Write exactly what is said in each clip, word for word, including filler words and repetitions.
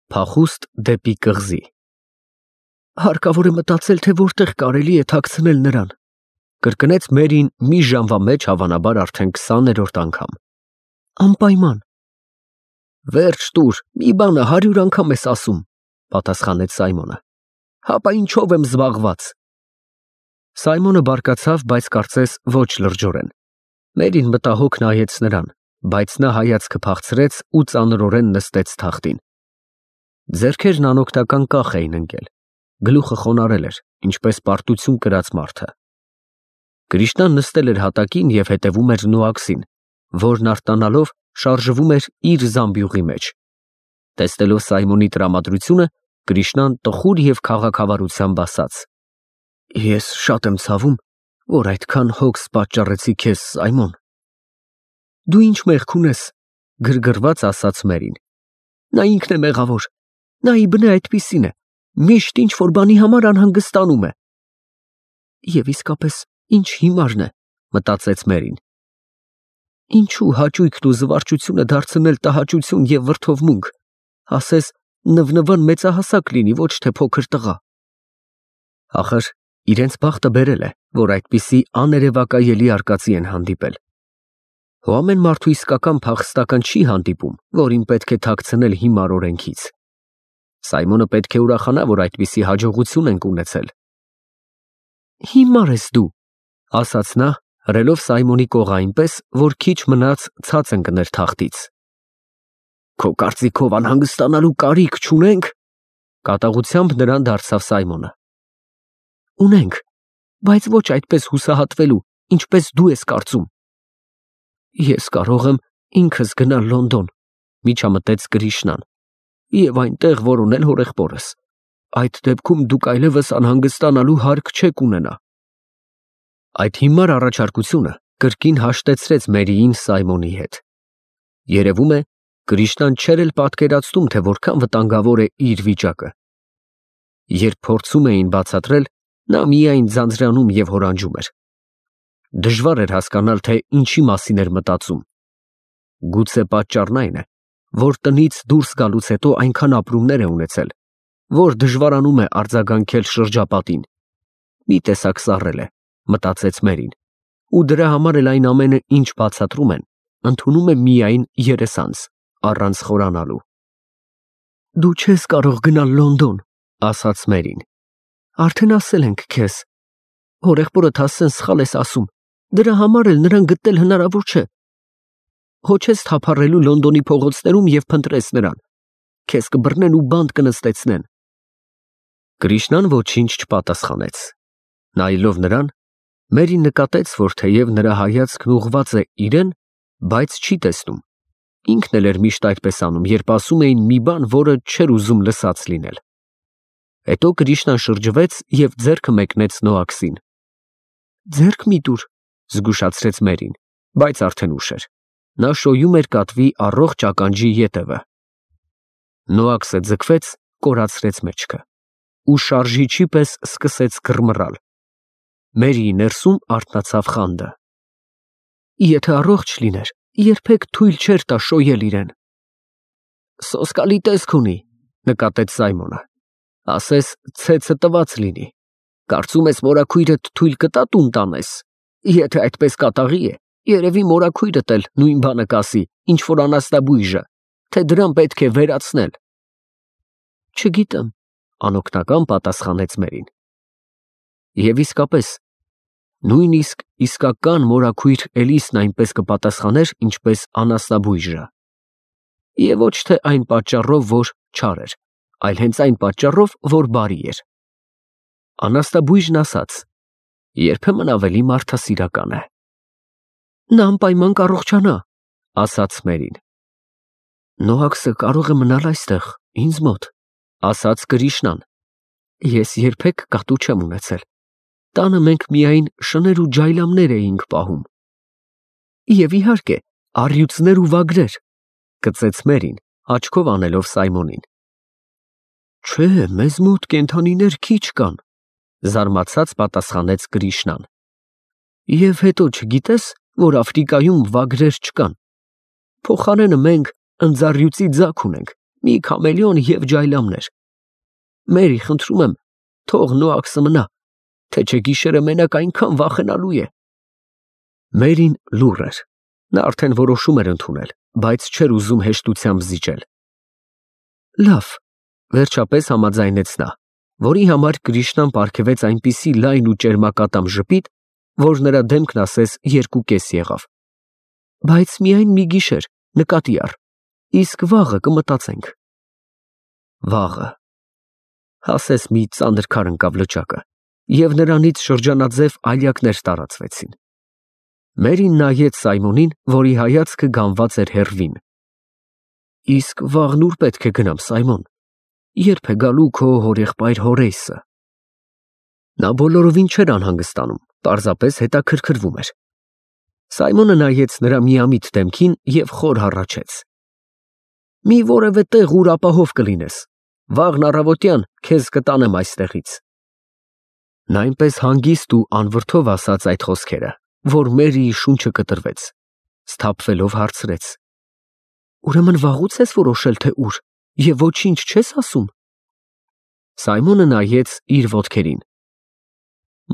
Փախուստ դեպի կղզի։ Հարկավոր է մտածել, թե որտեղ կարելի է թաքցնել նրան, կրկնեց Մերին մի ժամվա մեջ հավանաբար արդեն քսաներորդ անգամ։ Անպայման։ Վերջ տուր, մի բանը հարյուր անգամ ես ասում, պատասխանեց Սայմոնը։ Հապա ինչով եմ զբաղված։ Սայմոնը բարկացավ, բայց կարծես ոչ լրջորեն։ Մերին մտահոգ նայեց նրան, բայց նա հայացքը փախցրեց ու ծանրորեն նստեց թախտին։ Ձեռքերն անօգնական կախ էին ընկել, գլուխը խոնարհել էր, ինչպես պարտություն կրած մարդը։ Կրիշնան նստել էր հատակին և հետևում էր Նոաքսին, որն արտանալով շարժվում էր իր զամբյուղի մեջ։ Տեսնելով Սայմոնի տրամադրությունը, Կրիշնան տխուր և քաղաքավարությամբ ասաց. Ես շատ եմ ցավում, որ այդքան հոգս պատճառեցի քեզ, Սայմոն։ Դու ինչ մեղք ունես, գրգռված ասաց Մերին։ Նա ինքն է մեղավոր, նա ի բնե այդպիսին է, միշտ ինչ որ բանի համար անհանգստանում է։ Եվ իսկապես ինչ հիմարն է, մտածեց Մերին։ Ինչու հաճույքն ու զվարճությունը դարձնել տհաճություն և վրդովմունք, ասես նվնվան մեծահասակ լինի, ոչ թե փոքր տղա։ Ախր իրենց բախտը բերել է, որ այդպիսի աներևակայելի արկածի են հանդիպել։ Հո ամեն մարդու իսկական փախստական չի հանդիպում, որին պետք է թաքցնել հիմար օրենքից։ Սայմոնը պետք է ուրախանա, որ այդպիսի հաջողություն ենք ունեցել։ Հիմար ես դու, ասաց նա, հրելով Սայմոնի կողը այնպես, որ քիչ մնաց ցած ընկներ թախտից։ Քո կարծիքով անհանգստանալու կարիք չունենք, կատաղությամբ նրան դարձավ Սայմոնը։ Ունենք, բայց ոչ այդպես հուսահատվելու, ինչպես դու ես կարծում։ Ես կարող եմ ինքս գնալ Լոնդոն, միջամտեց Կրիշնան, և այնտեղ որոնել հորեղբորս։ Այդ դեպքում դուք այլևս անհանգստանալու հարկ չեք ունենա։ Այդ հիմար առաջարկությունը կրկին հաշտեցրեց Մերիին Սայմոնի հետ։ Երևում է, Կրիշնան չէր էլ պատկերացնում, թե որքան վտանգավոր է իր վիճակը։ Երբ փորձում էին բացատրել, նա միայն ձանձրանում և հորանջում էր։ Դժվար էր հասկանալ, թե ինչի մասին էր մտածում։ Գուցե պատճառն այն է, որ տնից դուրս գալուց հետո այնքան ապրումներ է ունեցել, որ դժվարանում է արձագանքել շրջապատին։ Մի տեսակ սառել է, մտածեց Մերին, ու դրա համար էլ այն ամենը, ինչ բացատրում են, ընդունում է միայն երեսանց, առանց խորանալու։ Դու չես կարող գնալ Լոնդոն, ասաց Մերին։ Արդեն ասել ենք քեզ։ Հորեղբորդ ասեն սխալ ես ասում, դրա համար էլ նրան գտնել հնարավոր չէ։ Հո չես թափառելու Լոնդոնի փողոցներում և փնտրես նրան։ Քեզ կբռնեն ու բանտ կնստեցնեն։ Կրիշնան ոչինչ չպատասխանեց։ Նայելով նրան, Մերին նկատեց, որ թեև նրա հայացքն ուղղված է իրեն, բայց չի տեսնում։ Ինքն էլ էր միշտ այդպես անում, երբ ասում էին մի բան, որը չէր ուզում լսած լինել։ Հետո Կրիշնան շրջվեց և ձեռքը մեկնեց Նոաքսին։ Ձեռք մի տուր, զգուշացրեց Մերին, բայց արդեն ուշ էր։ Նա շոյում էր կատվի առողջ ականջի ետևը։ Նոաքսը ձգվեց, կորացրեց մեջքը ու շարժիչի պես սկսեց գրմռալ։ Մերիի ներսում արթնացավ խանդը։ Եթե առողջ լիներ, երբեք թույլ չէր տա շոյել իրեն։ Սոսկալի տեսք ունի, նկատեց Սայմոնը։ Ասես ցեցը տված լինի։ Կարծում ես մորաքույրդ թույլ կտա տուն տանես։ Եթե այդպես կատաղի է, երևի մորաքույրդ էլ նույն բանը կասի, ինչ որ անաստաբույժը, թե դրան պետք է վերացնել։ Չգիտեմ, անօգնական պատասխանեց Մերին։ Եվ իսկապես, նույնիսկ իսկական մորաքույր Էլիսն այնպես կպատասխաներ, ինչպես անասնաբույժը։ Եվ ոչ թե այն պատճառով, որ չար էր, այլ հենց այն պատճառով, որ բարի էր։ Անաստաբույժն ասաց. երբեմն ավելի մարդասիրական է։ Նա անպայման կառողջանա, ասաց Մերին։ Նոաքսը կարող է մնալ այստեղ, ինձ մոտ, ասաց Կրիշնան։ Ես երբեք կատու չեմ ունեցել։ Տանը մենք միայն շներ ու ջայլամներ էինք պահում։ Եվ իհարկե, առյուծներ ու վագրեր, կծեց Մերին, աչքով անելով Սայմոնին։ Չէ, մեզ մոտ կենդանիներ քիչ կան, զարմացած պատասխանեց Կրիշնան։ Եվ հետո չգիտես, որ Աֆրիկայում վագրեր չկան։ Փոխարենը մենք ընձառյուծի ձագ ունենք, մի քամելիոն և ջայլամներ։ Մերի, խնդրում եմ, թող Նոաքսը մնա, թե չէ գիշերը մենակ այնքան վախենալու է։ Մերին լուռ էր, նա արդեն որոշում էր ընդունել, բայց չէր ուզում հեշտությամբ զիջել։ Լավ, վերջապես համաձայնեց նա, որի համար Կրիշնան պարգևեց այնպիսի լայն ու ճերմակատամ ժպիտ, որ նրա դեմքն ասես երկու կես եղավ։ Բայց միայն մի գիշեր, նկատի առ, իսկ վաղը կմտածենք։ Վաղը, ասես մի ծանր քար ընկավ լճակը, և նրանից շրջանաձև ալյակներ տարածվեցին։ Մերին նայեց Սայմոնին, որի հայացքը գանված էր հեռվին։ Իսկ վաղն ուր պետք է գնամ, Սայմոն, երբ է գալու քո հորեղբայր Հորեյսը։ Նա բոլորովին չէր անհանգստանում, պարզապես հետաքրքրվում էր։ Սայմոնը նայեց նրա միամիտ դեմքին և խոր հառաչեց. Մի որևէ տեղ, ուր ապահով կլինես, վաղն առավոտյան քեզ կտանեմ այստեղից։ Նա այնպես հանգիստ ու անվրդով ասաց այդ խոսքերը, որ Մերիի շունչը կտրվեց, սթափվելով հարցրեց. Ուրեմն վաղուց ես որոշել, թե ուր, և ոչինչ չես ասում։ Սայմոնը նայեց իր ոտքերին։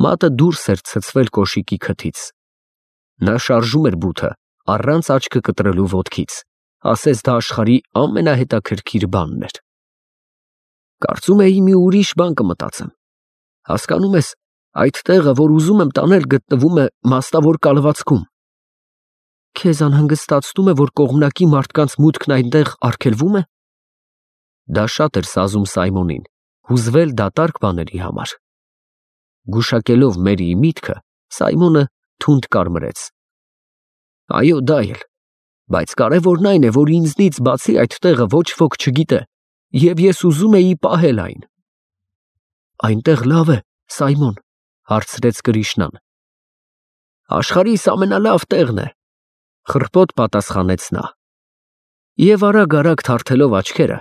Մատը դուրս էր ցցվել կոշիկի քթից։ Նա շարժում էր բութը, առանց աչքը կտրելու ոտքից, ասես դա աշխարհի ամենահետաքրքիր բանն էր։ Կարծում էի մի ուրիշ բան կմտածեմ։ Հասկանում ես, այդ տեղը, որ ուզում եմ տանել, գտնվում է մաստավոր կալվածքում։ Քեզ անհանգստացնում է, որ կողմնակի մարդկանց մուտքն այնտեղ արգելվում է։ Դա շատ էր սազում Սայմոնին, հուզվել դատարկ բաների համար։ Գուշակելով Մերիի միտքը, Սայմոնը թունդ կարմրեց։ Այո, դա էլ, բայց կարևորն այն է, որ ինձնից բացի այդ տեղը ոչ ոք չգիտե, և ես ուզում էի պահել այն։ Այնտեղ լավ է, Սայմոն, հարցրեց Կրիշնան։ Աշխարհիս ամենալավ տեղն է, խռպոտ պատասխանեց նա։ Եվ արագ-արագ թարթելով աչքերը,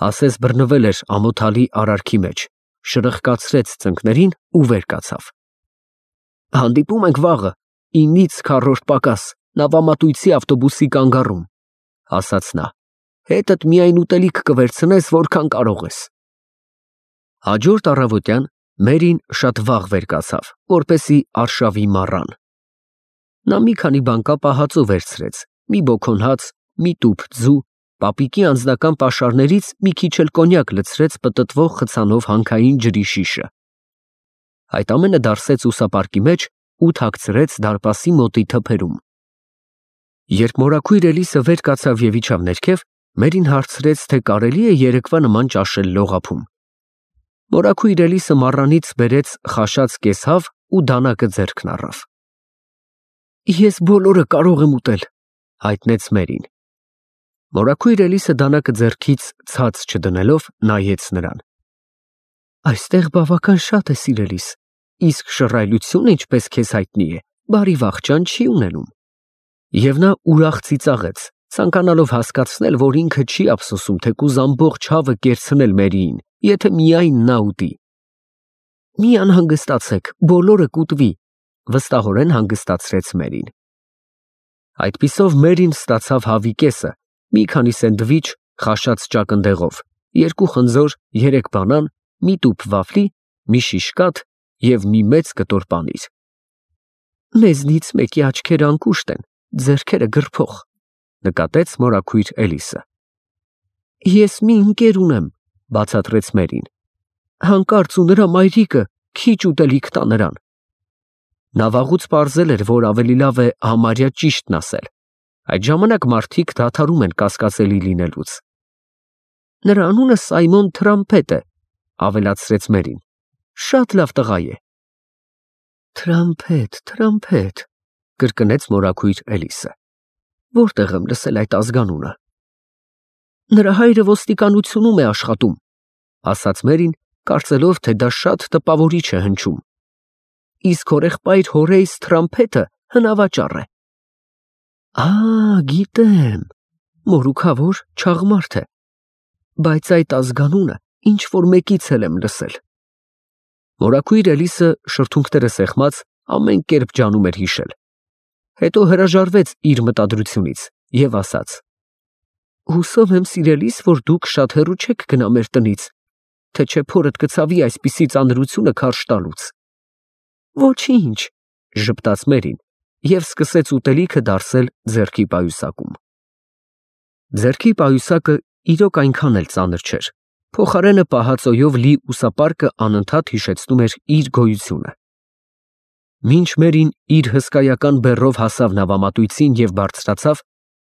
ասես բռնվել էր ամոթալի արարքի մեջ, շրխկացրեց ծնկներին ու վեր կացավ։ Հանդիպում ենք վաղը, ինից քառորդ պակաս, նավամատույցի ավտոբուսի կանգառում, ասաց նա, հետդ միայն ուտելիք կվերցնես, որքան կարող ես։ Հաջորդ առավոտյան Մերին շատ վաղ վեր կացավ, որպեսզի արշավի մառան։ Նա մի քանի բանկապ ահածո վերցրեց, մի բոքոն հաց, մի տուփ ձու, պապիկի անձնական պաշարներից մի քիչ էլ կոնյակ լցրեց պտտվող խցանով հանքային ջրի շիշը։ Այդ ամենը դարսեց ուսապարկի մեջ ու թաքցրեց դարպասի մոտի թփերում։ Երբ մորաքույր Էլիսը վեր կացավ և իջավ ներքև, Մերին հարցրեց, թե կարելի է երեկվա նման ճաշել լողափում։ Մորաքույր Էլիսը մառանից բերեց խաշած կեսհավ ու դանակը ձեռքն առավ։ Ես բոլորը կարող եմ ուտել, հայտնեց Մերին։ Մորաքույր Էլիսը դանակը ձեռքից ցած չդնելով նայեց նրան։ Այստեղ բավական շատ է, սիրելիս, իսկ շռայլությունը, ինչպես քեզ հայտնի է, բարի վախճան չի ունենում։ Եվ նա ուրախ ծիծաղեց, ցանկանալով հասկացնել, որ ինքը չի ափսոսում թեկուզ ամբողջ հավը կերցնել Մերիին, եթե միայն նա ուտի։ Մի անհանգստացեք, բոլորը կուտվի, վստահորեն հանգստացրեց Մերին։ Այդպիսով Մերին ստացավ հավի կեսը, մի քանի սենդվիչ խաշած ճակնդեղով, երկու խնձոր, երեք բանան, մի տուփ վաֆլի, մի շիշ կաթ և մի մեծ կտոր պանիր։ Մեզնից մեկի աչքերը անկուշտ են, ձեռքերը գրփող, նկատեց մորաքույր Էլիսը։ Ես մի ընկեր ունեմ, բացատրեց Մերին։ Հանկարծ ու նրա մայրիկը քիչ ուտելիք տա նրան։ Նա վաղուց պարզել էր, որ ավելի լավ է համարյա ճիշտն ասել։ Այդ ժամանակ մարդիկ դադարում են կասկածելի լինելուց։ Նրա անունը Սայմոն Թրամփետ է, ավելացրեց Մերին։ Շատ լավ տղա է։ Թրամփետ, Թրամփետ, կրկնեց մորաքույր Էլիսը։ Որտեղ եմ լսել այդ ազգանունը։ Նրա հայրը ոստիկանությունում է աշխատում, ասաց Մերին, կարծելով, թե դա շատ տպավորիչ է հնչում։ Իսկ հորեղբայր Հորեյս Թրամփետը հնավաճառ է։ Ա, գիտեմ, մորուքավոր չաղմարդ է, բայց այդ ազգանունը ինչ որ մեկից էլ եմ լսել։ Մորաքույր Էլիսը շրթունքները սեղմած ամեն կերպ ջանում էր հիշել։ Հետո հրաժարվեց իր մտադրությունից և ասաց. Հուսով եմ սիրելիս, որ դուք շատ հեռու չեք գնա մեր տնից, թե չէ փորդ կցավի այսպիսի ծանրությունը քարշ տալուց։ Ոչինչ, ժպտաց Մերին և սկսեց ուտելիքը դարսել ձեռքի պայուսակում։ Ձեռքի պայուսակը իրոք այնքան էլ ծանր չէր, փոխարենը պահածոյով լի ուսապարկը անընդհատ հիշեցնում էր իր գոյությունը։ Մինչ Մերին իր հսկայական բեռով հասավ նավամատույցին և բարձրացավ,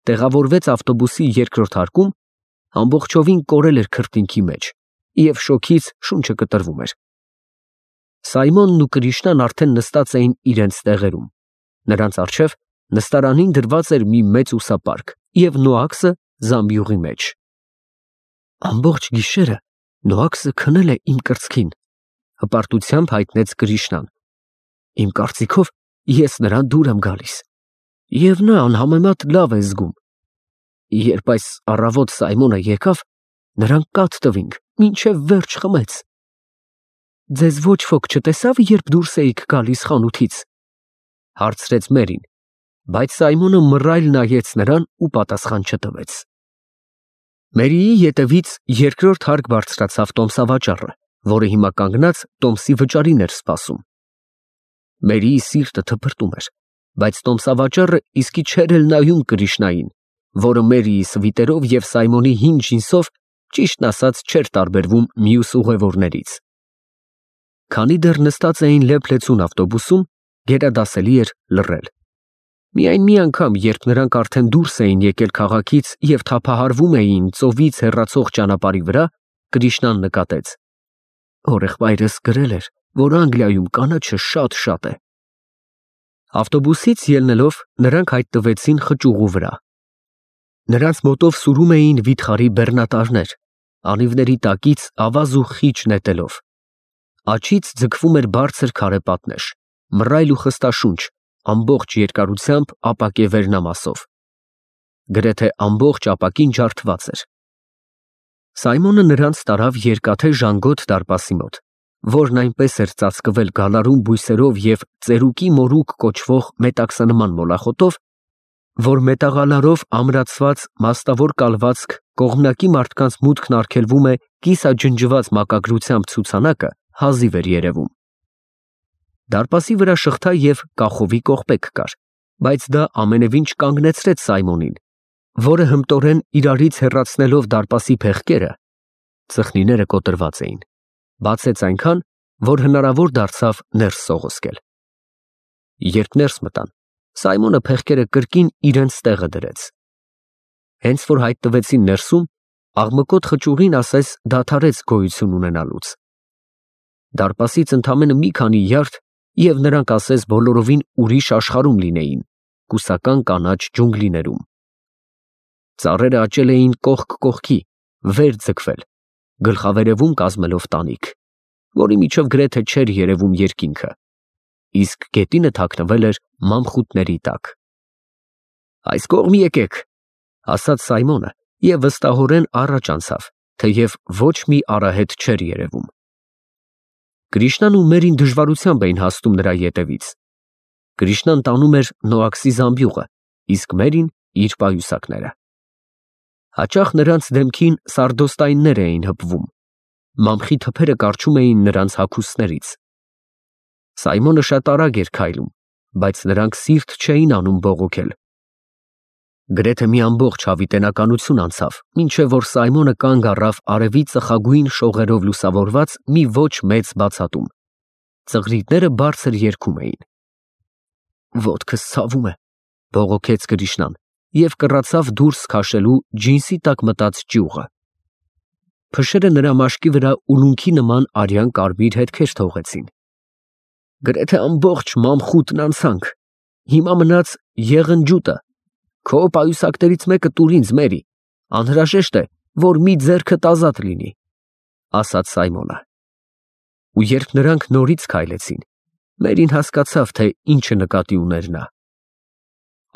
տեղավորվեց ավտոբուսի երկրորդ հարկում, ամբողջովին կորել էր քրտինքի մեջ և շոգից շունչը կտրվում էր։ Սայմոնն ու Կրիշնան արդեն նստած էին իրենց տեղերում, նրանց առջև նստարանին դրված էր մի մեծ ուսապարկ և Նոաքսը զամբյուղի մեջ։ Ամբողջ գիշերը Նոաքսը քնել է իմ կրծքին, հպարտությամբ հայտնեց Կրիշնան։ Իմ կարծիքով ես նրան դուր եմ գալիս, և նա անհամեմատ լավ է զգում։ Երբ այս առավոտ Սայմոնը եկավ, նրան կաթ տվինք, մինչև վերջ խմեց։ Ձեզ ոչ ոք չտեսավ, երբ դուրս էիք գալիս խանութից, հարցրեց Մերին, բայց Սայմոնը մռայլ նայեց նրան ու պատասխան չտվեց։ Մերիի ետևից երկրորդ հարկ բարձրացավ տոմսավաճառը, որը հիմա կանգնած տոմսի վճարին էր սպասում։ Մերիի սիրտը թփրտում էր, բայց տոմսավաճառը իսկի չէր էլ նայում Կրիշնային, որը Մերիի սվիտերով և Սայմոնի հին ջինսով ճիշտն ասած չէր տարբերվում մյուս ուղևորներից։ Քանի դեռ նստած էին լեփ-լեցուն ավտոբուսում, գերադասելի էր լռել։ Միայն մի անգամ, երբ նրանք արդեն դուրս էին եկել քաղաքից և թափահարվում էին ծովից հեռացող ճանապարհի վրա, Կրիշնան նկատեց. Հորեղբայրս գրել էր, որ Անգլիայում կանաչը շատ-շատ է։ Ավտոբուսից ելնելով նրանք հայտնվեցին խճուղու վրա։ Նրանց մոտով սուրում էին վիթխարի բեռնատարներ, անիվների տակից ավազ ու խիճ նետելով։ Աջից ձգվում էր բարձր քարե պատնեշ, մռայլ ու խստաշունչ, ամբողջ երկարությամբ ապակե վերնամասով։ Գրեթե ամբողջ ապակին ջարդված էր։ Սայմոնը նրանց տարավ երկաթե ժանգոտ դարպասի մոտ, որն այնպես էր ծածկվել գալարուն բույսերով և ծերուկի մորուք կոչվող մետաքսանման մոլախոտով, որ մետաղալարով ամրացված մաստավոր կալվածք կողմնակի մարդկանց մուտքն արգելվում է կիսաջնջված մակագրությամբ ցուցանակը հազիվ էր երևում։ Դարպասի վրա շղթա և կախովի կողպեք կար, բայց դա ամենևին չկանգնեցրեց Սայմոնին, որը հմտորեն իրարից հեռացնելով դարպասի փեղկերը, ծխնիները կոտրված էին, բացեց այնքան, որ հնարավոր դարձավ ներս սողոսկել։ Երբ ներս մտան, Սայմոնը փեղկերը կրկին իրենց տեղը դրեց։ Հենց որ հայտնվեցին ներսում, աղմկոտ խճուղին ասես դադարեց գոյություն ունենալուց։ Դարպասից ընդամենը մի քանի յարդ, և նրանք ասես բոլորովին ուրիշ աշխարհում լինեին, կուսական կանաչ ջունգլիներում։ Ծառերը աճել էին կողք կողքի, վեր ձգվել, գլխավերևում կազմելով տանիք, որի միջով գրեթե չէր երևում երկինքը, իսկ գետինը թաքնվել էր մամխուտների տակ։ Այս կողմ եկեք, ասաց Սայմոնը և վստահորեն առաջ անցավ, թեև ոչ մի արահետ չէր երևում։ Կրիշնան ու Մերին դժվարությամբ էին հասնում նրա ետևից։ Կրիշնան տանում էր Նոաքսի զամբյուղը, իսկ Մերին իր պայուսակները։ Հաճախ նրանց դեմքին սարդոստայններ էին հպվում, մամխի թփերը կառչում էին նրանց հագուստներից։ Սայմոնը շատ արագ էր քայլում, բայց նրանք սիրտ չէին անում բողոքել։ Գրեթե մի ամբողջ հավիտենականություն անցավ, մինչև որ Սայմոնը կանգ առավ արևի ծխագույն շողերով լուսավորված մի ոչ մեծ բացատում։ Ծղրիդները բարձր երգում էին։ Ոտքս ցավում է, բողոքեց Կրիշնան և կռացավ դուրս քաշելու ջինսի տակ մտած ճյուղը։ Փշերը նրա մաշկի վրա ուլունքի նման արյան կարմիր հետքեր թողեցին։ Գրեթե ամբողջ մամխուտն անցանք, հիմա մնաց եղնջուտը, քո պայուսակներից մեկը տուր ինձ, Մերի, անհրաժեշտ է, որ մի ձեռքդ ազատ լինի, ասաց Սայմոնը։ Ու երբ նրանք նորից քայլեցին, Մերին հասկացավ, թե ինչը նկատի ուներ նա։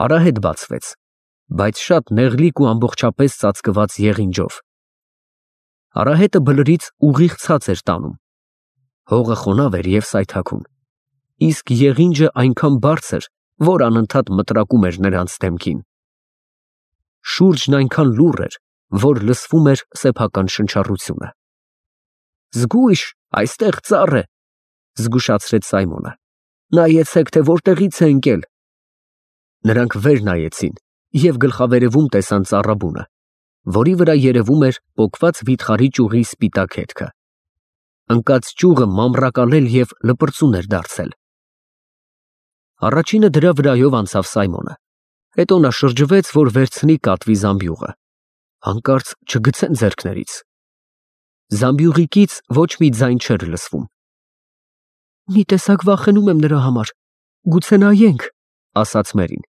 Արահետ բացվեց, բայց շատ նեղլիկ ու ամբողջապես ծածկված եղինջով։ Արահետը բլրից ուղիղ ցած էր տանում։ Հողը խոնավ էր և սայթաքուն, իսկ եղինջը այնքան բարձր, որ անընդհատ մտրակում էր նրանց դեմքին։ Շուրջն այնքան լուռ էր, որ լսվում էր սեփական շնչառությունը։ Զգույշ, այստեղ ծառ է, զգուշացրեց Սայմոնը։ Նայեցեք, թե որտեղից է ընկել։ Նրանք վեր նայեցին և գլխավերևում տեսան ծառաբունը, որի վրա երևում էր պոկված վիթխարի ճյուղի սպիտակ հետքը։ Ընկած ճյուղը մամռակալել և լպրծուն էր դարձել։ Առաջինը դրա վրայով անցավ Սայմոնը, հետո նա շրջվեց, որ վերցնի կատվի զամբյուղը, հանկարծ չգցեն ձեռքներից։ Զամբյուղիկից ոչ մի ձայն չէր լսվում։ Մի տեսակ վախենում եմ նրա համար, գուցե նայենք, ասաց Մերին։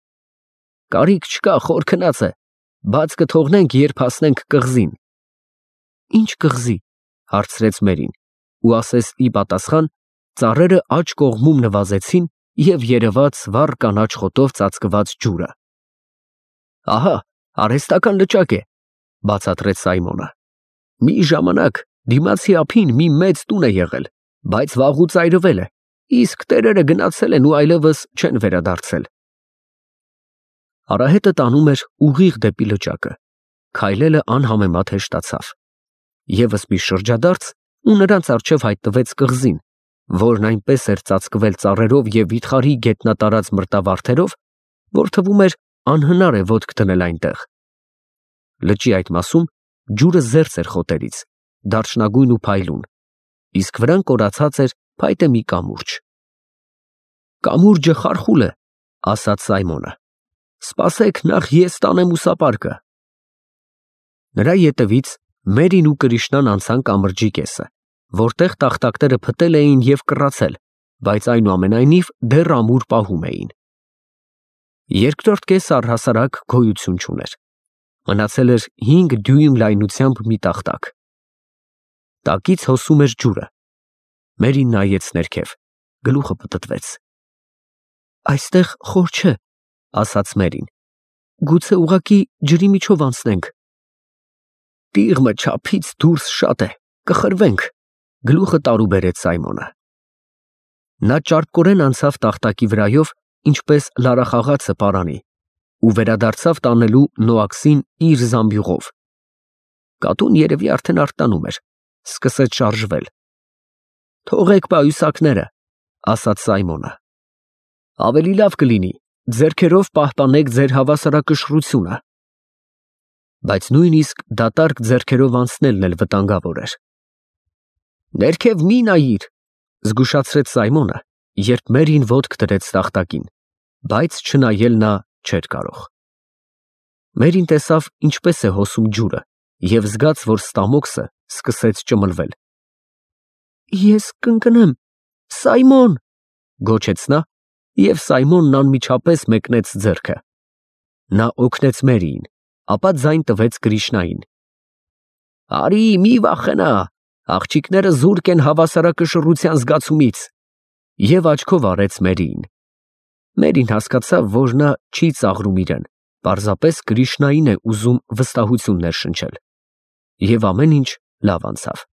Կարիք չկա, խոր քնած է, բաց կթողնենք, երբ հասնենք կղզին։ Ինչ կղզի, հարցրեց Մերին, ու ասես ի պատասխան ծառերը աջ կողմում նվազեցին և երևաց վառ կանաչ խոտով ծածկված ջուրը։ Ահա, արհեստական լճակ է, բացատրեց Սայմոնը։ Մի ժամանակ դիմացի ափին մի մեծ տուն է եղել, բայց վաղուց այրվել է, իսկ տերերը գնացել են ու այլևս չեն վերադարձել։ Արահետը տանում էր ուղիղ դեպի լճակը, քայլելը անհամեմատ հեշտացավ։ Եվս մի շրջադարձ, ու նրանց առջև հայտնվեց կղզին, որն այնպես էր ծածկվել ծառերով և վիթխարի գետնատարած մրտավարդերով, որ թվում էր անհնար է ոտք դնել այնտեղ։ Լճի այդ մասում ջուրը զերծ էր խոտերից, դարչնագույն ու փայլուն, իսկ վրան կորացած էր փայտե մի կամուրջ։ Կամուրջը խարխուլ է, ասաց Սայմոնը։ Սպասեք, նախ ես տանեմ ուսապարկը։ Նրա ետևից Մերին ու Կրիշնան անցան կամրջի կեսը, որտեղ տախտակները փտել էին և կռացել, բայց այնուամենայնիվ դեռ ամուր պահում էին։ Երկրորդ կեսը առհասարակ գոյություն չուներ։ Մնացել էր հինգ դյույմ լայնությամբ մի տախտակ։ Տակից հոսում էր ջուրը։ Մերին նայեց ներքև, գլուխը պտտվեց։ Այստեղ խոր չէ, ասաց Մերին։ Գուցե ուղղակի ջրի միջով անցնենք։ Տիղմը չափից դուրս շատ է, կխրվենք, գլուխը տարուբերեց Սայմոնը։ Նա ճարպկորեն անցավ տախտակի վրայով, ինչպես լարախաղացը պարանի, ու վերադարձավ տանելու Նոաքսին իր զամբյուղով։ Կատուն երևի արդեն արթնանում էր, սկսեց շարժվել։ Թողեք պայուսակները, ասաց Սայմոնը։ Ավելի լավ կլինի, ձեռքերով պահպանեք ձեր հավասարակշռությունը։ Բայց նույնիսկ դատարկ ձեռքերով անցնելն էլ վտանգավոր էր։ Ներքև մի նայիր, զգուշացրեց Սայմոնը, երբ Մերին ոտք դրեց տախտակին, բայց չնայել նա չէր կարող։ Մերին տեսավ ինչպես է հոսում ջուրը և զգաց, որ ստամոքսը սկսեց ճմլվել։ Ես կընկնեմ, Սայմոն, գոչեց նա, և Սայմոնն անմիջապես մեկնեց ձեռքը։ Նա օգնեց Մերիին, ապա ձայն տվեց Կրիշնային։ Արի, մի վախենա, աղջիկները զուրկ են հավասարակշռության զգացումից, և աչքով արեց Մերիին։ Մերին հասկացավ, որ նա չի ծաղրում իրեն, պարզապես Կրիշնային է ուզում վստահություն ներշնչել։ Եվ ամեն ինչ լավ անցավ։